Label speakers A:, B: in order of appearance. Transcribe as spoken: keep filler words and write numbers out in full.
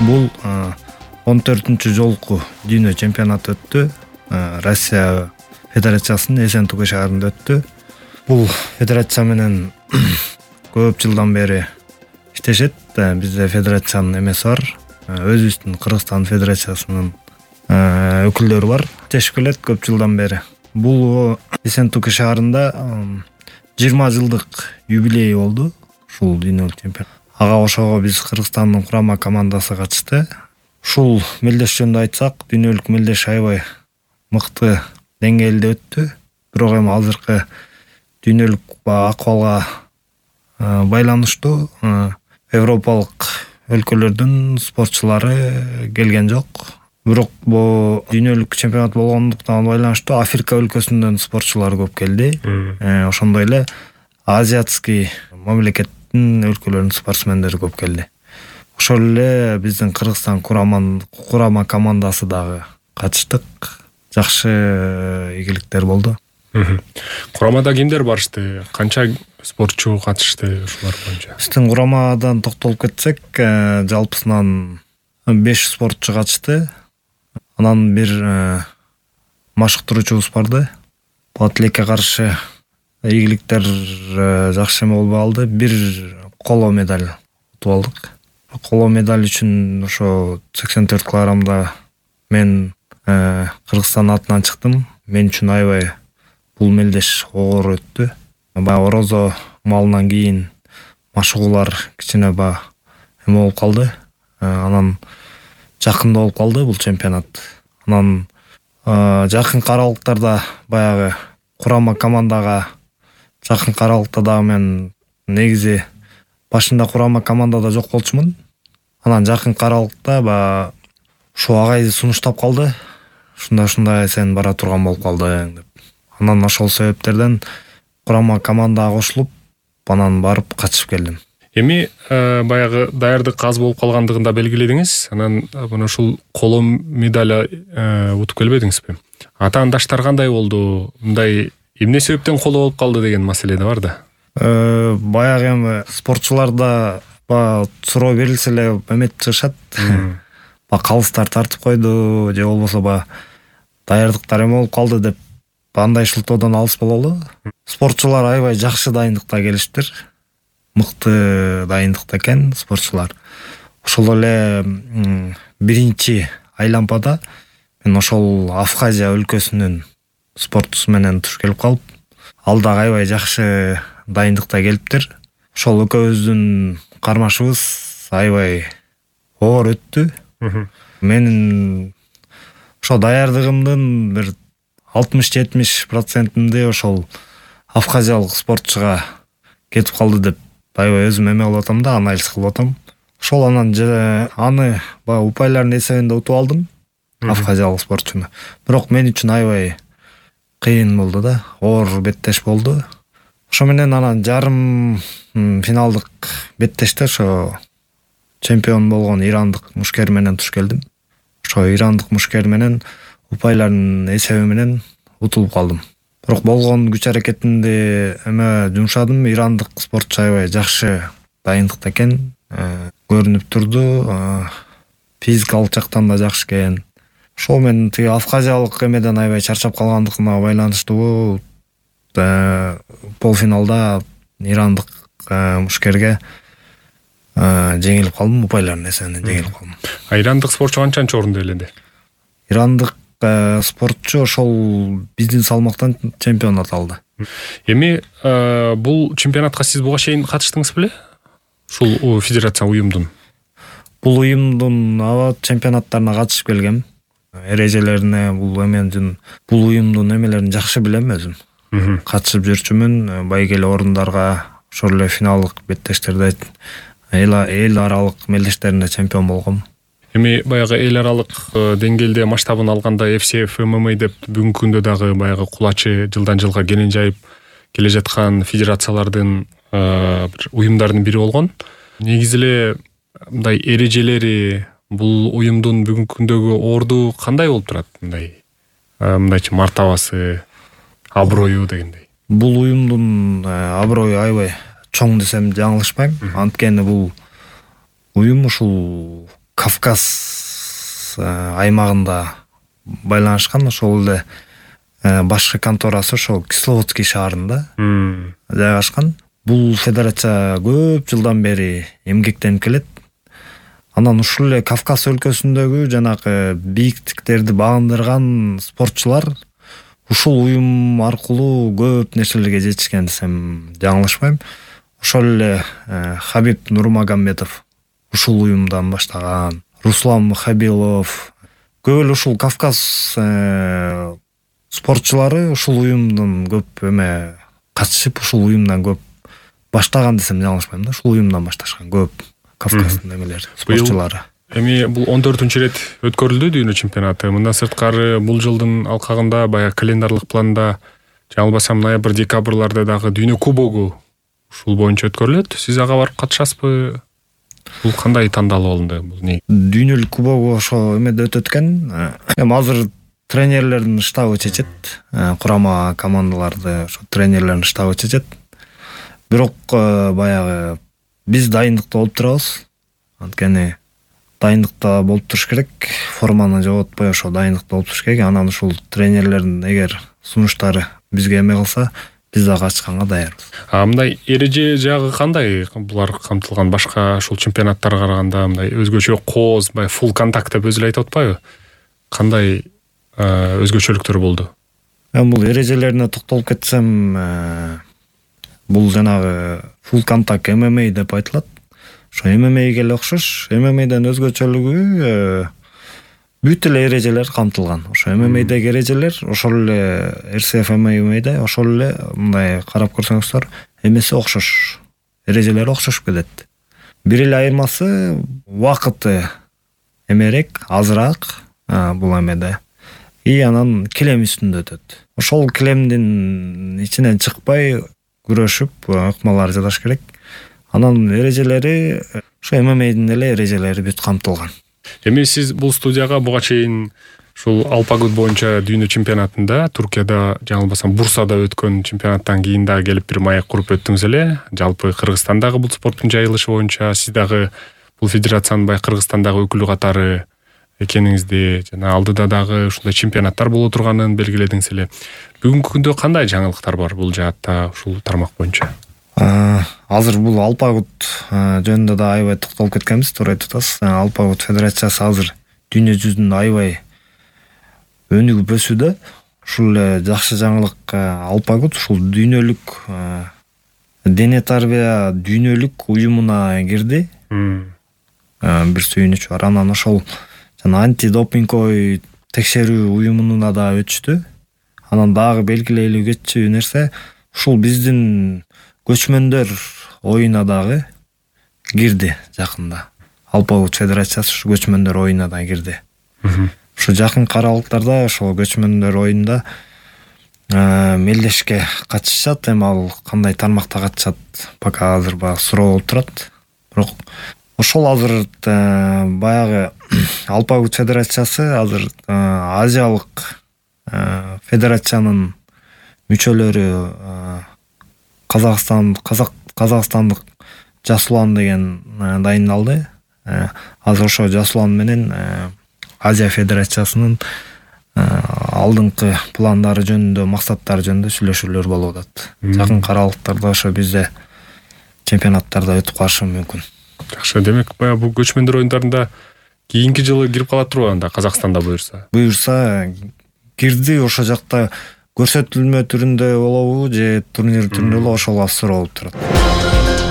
A: Бул он төртүнчү жолку дүйнө чемпионаты өттү. Россия Федерациясынын Эсентука шаарында өттү. Бул федерация менен көп жылдан бери иштешет. Бизде федерациянын эмеси бар. Өзүбүздүн Кыргызстан Федерациясынын өкүлдөрү бар. Иштешип келет көп жылдан бери. Бул Эсентука шаарында жыйырма жылдык юбилей болду. Ушул дүйнөлүк чемпионат. Ага ошого биз Кыргызстандын курама командасы катышты. Ушул мелдеш жөнүндө айтсак, дүйнөлүк мелдеш аябай мыкты деңгээлде өттү. Бирок эми азыркы дүйнөлүк акыбалга байланыштуу европалык өлкөлөрдүн спортчулары келген жок. Бирок бул дүйнөлүк чемпионат болгондуктан байланыштуу Африка өлкөсүнөн спортчулар көп келди. Ошондой эле азиатский мамлекеттин өлкөлөрүнүн спортсмендери көп келди. Ошол эле биздин Кыргызстан курама командасы дагы катыштык. Жакшы ийгиликтер болду.
B: Курамада кимдер барышты? Канча спортчу катышты ушулар боюнча?
A: Биздин курамадан токтолуп кетсек, жалпысынан беш спортчу катышты. Анан бир машыктыруучубуз барды. Бул тилекке каршы ийгиликтер жакшы эме болбой калды. Бир коло медаль утуп алдык. Коло медаль үчүн ошо сексен төрт килограммда мен Кыргызстан атынан чыктым. Мен үчүн аябай бул мелдеш оор өттү. Баягы орозо малынан кийин машыгуулар кичине ба эме болуп калды. Анан жакында болуп калды бул чемпионат. Анан жакынкы аралыктарда баягы курама командага жакынкы аралыкта дагы мен негизи башында курама командада жок болчумун. Анан жакынкы аралыкта баягы ушул агайды сунуштап калды. Ушундай-ушундай сен бара турган болуп калдың деп. Анан ошол себептерден курама командага кошулуп, анан барып катышып келдим.
B: Эми баягы даярдык аз болуп калгандыгын да белгиледиңиз. Анан мына ушул коло медаль утуп келбедиңизби? Атаандаштар кандай болду? Мындай эмне себептен коло болуп калды деген маселе да бар да.
A: Баягы эми спортчуларда ба суроо берилсе эле эметип чыгышат. Ба калыстар тартып койду, же болбосо ба даярдыктар эме болуп калды деп андай шылтоодон алыс бололу. Спортчулар аябай жакшы дайындыкта келиштир. Мыкты дайындыкта экен спортчулар. Ошол эле биринчи айлампада мен ошол Абхазия өлкөсүнүн спортчусу менен туш келип калып, ал дагы аябай жакшы дайындыкта келиптир. Ошол экөөбүздүн кармашыбыз аябай оор өттү. Менин ошо даярдыгымдын бир алтымыш жетимиш процентинде ошол абхазиялык спортчуга кетип калды деп аябай өзүм эме болуп атам да, анализ кылып атам. Ошол анан аны баягы упайлардын эсебинде утуп алдым, абхазиялык спортчуну. Бирок мен үчүн аябай кыйын болду да, оор беттеш болду. Ошо менен анан жарым финалдык беттеште ошо чемпион болгон ирандык мушкер менен туш келдим. Ошо ирандык мушкер менен упайлардын эсеби менен утулуп калдым. Бирок болгон күч аракетимди эме жумшадым. Ирандык спортчу аябай жакшы дайындыкта экен, көрүнүп турду. Физикалык жактан да жакшы экен. Ошол мен тиги абхазиялык эмеден аябай чарчап калгандыгына байланыштуу полуфиналда ирандык мушкерге жеңилип калдым, упайлардын эсебинен жеңилип калдым.
B: А ирандык спортчу канчанчы орунду ээледи?
A: Ирандык спортчу ошол биздин салмактан чемпионат алды.
B: Эми бул чемпионатка сиз буга чейин катыштыңыз беле? Ушул федерация уюмдун.
A: Бул уюмдун аба чемпионаттарына катышып келгем. Эрежелерине бул эменин, бул уюмдун эмелерин жакшы билем өзүм. Катышып жүрчүмүн, байгеле орундарга, ошол эле финалдык беттештерде эл аралык мелдештеринде чемпион болгом.
B: Эми баягы эл аралык деңгээлде масштабын алганда эф си эф эм эм а деп бүгүнкү күндө дагы баягы кулачы жылдан жылга келин жайып келе жаткан федерациялардын бир уюмдардын бири болгон. Негизи эле мындай эрежелери бул уюмдун бүгүнкү күндөгү орду кандай болуп турат? Мындай мындайчы мартабасы, аброю дегендей.
A: Бул уюмдун аброю аябай чоң десем жаңылышпайм. Анткени бул уюм ушул Кавказ аймагында байланышкан. Ошол эле башкы конторасы ошол Кисловодский шаарында жайгашкан. Бул федерация көп жылдан бери эмгектенип келет. Анан ушул эле Кавказ өлкөсүндөгү жанагы бийиктиктерди багындырган спортчулар ушул уюм аркылуу көп нерселерге жетишкен десем жаңылышпайм. Ошол эле Хабиб Нурмагомедов ушул уюмдан баштаган, Руслан Мухабилов, көп эле ушул Кавказ спортчулары ушул уюмдун көп эме катышып, ушул уюмдан көп баштаган десем жаңылышпайм да. Ушул уюмдан башташкан көп Кавказдын эмелери, спортчулары.
B: Эми бул он төртүнчү ирет өткөрүлдү дүйнө чемпионаты. Мындан сырткары бул жылдын алкагында баягы календарлык планда жаңылбасам ноябрь декабрларда дагы дүйнө кубогу ушул боюнча өткөрүлөт. Сиз ага барып катышасызбы? Бул кандай тандалуу болду? Бул не?
A: Дүйнөлүк кубогу ошо эмеде өтөт экен. Эми азыр тренерлердин штабы чечет. Курама командаларды ошо тренерлердин штабы чечет. Бирок баягы биз дайындыкта болуп турабыз. Анткени дайындыкта болуп туруш керек. Форманы жоготпой ошо дайындыкта болуп туруш керек. Анан ушул тренерлердин эгер сунуштары бизге эме кылса, биз дагы катышканга даярбыз.
B: А мындай эреже жагы кандай? Булар камтылган башка ушул чемпионаттарга караганда мындай өзгөчө кооз, бай фул контакт деп өзү эле айтып атпайбы? Кандай өзгөчөлүктөр болду?
A: Эми бул эрежелерине токтолуп кетсем, бул жанагы фул контакт эм эм а деп айтылат. Ошо эм эм ага эле окшош. эм эм адан өзгөчөлүгү бүт эле эрежелер камтылган. Ошо эм эм адагы эрежелер ошол эле эр си эф эм эм ада ошол эле мындай карап көрсөңүздөр эмеси окшош. Эрежелери окшошуп кетет. Бир эле айырмасы убакыты эмерээк, азыраак бул эмеде. И анан килем үстүндө өтөт. Ошол килемдин ичинен чыкпай күрөшүп, ыкмалар жасаш керек. Анан эрежелери ошо эм эм адын эле эрежелери бүт камтылган.
B: Эми сиз бул студияга буга чейин ушул алпагут боюнча дүйнө чемпионатында Туркияда жаңылбасам Бурсада өткөн чемпионаттан кийин дагы келип бир маек куруп өттүңүз эле. Жалпы Кыргызстандагы бул спорттун жайылышы боюнча сиз дагы бул федерациянын бай Кыргызстандагы өкүлү катары экениңизди, жана алдыда дагы ушундай чемпионаттар боло турганын белгиледиңиз эле. Бүгүнкү күндө кандай жаңылыктар бар бул жаатта ушул тармак боюнча?
A: Азыр бул алпагут жөнүндө да аябай токтолуп кеткенбиз, туура айтып атасыз. Алпагут федерациясы азыр дүйнө жүзүндө аябай өнүгүп өсүүдө. Ушул эле жакшы жаңылык алпагут ушул дүйнөлүк дене тарбия дүйнөлүк уюмуна кирди. Бир сүйүнүч бар. Анан ошол жана антидопинговый текшерүү уюмуна да өтүштү. Анан дагы белгилелүү кетчү нерсе ушул биздин көчмөндөр оюна дагы кирди жакында. Алпагут федерациясы ушу көчмөндөр оюна да кирди. Ушу жакынкы аралыктарда ошол көчмөндөр оюнда мелдешке катышат. Эми ал кандай тармакта катышат пока азыр ба суроо болуп турат. Бирок ошол азыр баягы алпагут федерациясы азыр азиялык федерациянын мүчөлөрү Казакстан казак казакстандык Жасулан деген дайындалды. Азыр ошо Жасулан менен Азия федерациясынын алдыңкы пландары жөнүндө, максаттары жөнүндө сүйлөшүүлөр болуп атат. Жакынкы аралыктарда ошо бизде чемпионаттарда өтүп калышы мүмкүн.
B: Жакшы, демек баягы бул көчмөндөр оюндарында кийинки жылы кирип калат турбу анда Казакстанда буюрса?
A: Буюрса кирди, ошол жакта көрсөтүлмө түрүндө болобу же турнир түрүндө болобу ошол суроо болуп турат.